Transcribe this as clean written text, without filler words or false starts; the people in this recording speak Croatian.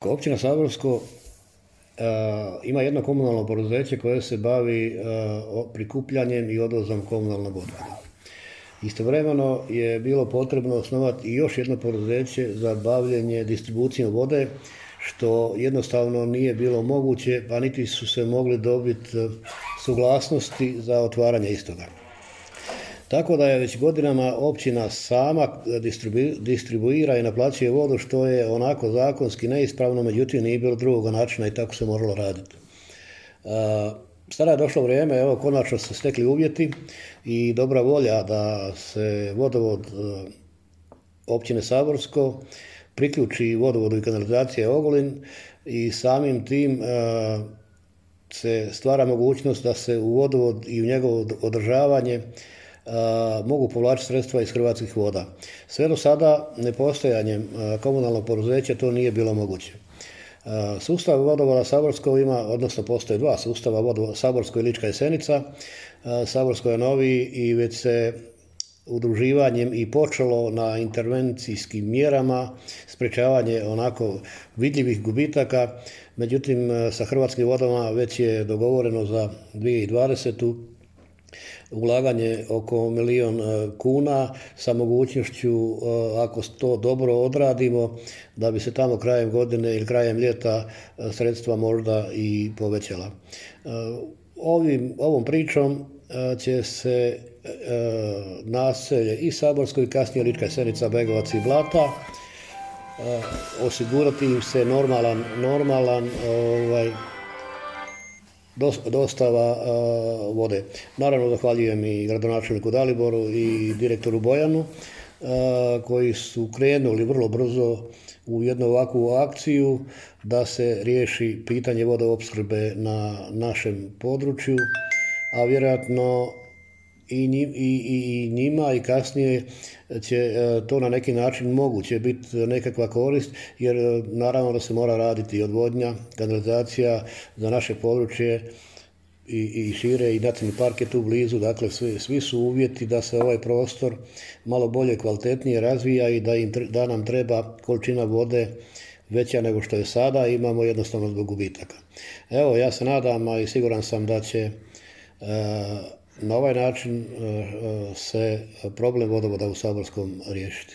Općina Saborsko ima jedno komunalno poduzeće koje se bavi prikupljanjem i odvozom komunalnog otpada. Istovremeno je bilo potrebno osnovati i još jedno poduzeće za bavljenje distribucijom vode, što jednostavno nije bilo moguće, pa niti su se mogli dobiti suglasnosti za otvaranje istoga. Tako da je već godinama općina sama distribuira i naplaćuje vodu, što je onako zakonski neispravno, međutim nije bilo drugog načina i tako se moralo raditi. Sada je došlo vrijeme, evo konačno su stekli uvjeti i dobra volja da se vodovod općine Saborsko priključi vodovodu i kanalizacije Ogulin i samim tim se stvara mogućnost da se u vodovod i u njegovo održavanje mogu povlačiti sredstva iz Hrvatskih voda. Sve do sada nepostojanjem komunalnog poduzeća to nije bilo moguće. Sustav vodovoda Saborsko ima, odnosno postoje dva sustava, vodovod Saborsko i Lička Jesenica. Saborsko je noviji i već se udruživanjem i počelo na intervencijskim mjerama sprječavanje onako vidljivih gubitaka. Međutim, sa Hrvatskim vodama već je dogovoreno za 2020. ulaganje oko 1 milijun kuna sa mogućnošću, ako to dobro odradimo, da bi se tamo krajem godine ili krajem ljeta sredstva možda i povećala. Ovom pričom će se naselje i Saborsko i kasnije Lička Jesenica, Begovac i Blata osigurati im se normalan dostava vode. Naravno, zahvaljujem i gradonačelniku Daliboru i direktoru Bojanu koji su krenuli vrlo brzo u jednu ovakvu akciju da se riješi pitanje vodoopskrbe na našem području, a vjerojatno i njima i kasnije će to na neki način moguće biti nekakva korist, jer naravno da se mora raditi odvodnja, kanalizacija za naše područje i šire, i nacionalni park je tu blizu, dakle svi su uvjeti da se ovaj prostor malo bolje, kvalitetnije razvija i da nam treba količina vode veća nego što je sada, imamo jednostavno zbog gubitaka. Evo, ja se nadam, a i siguran sam da će na ovaj način se problem vodovoda u Saborskom riješiti.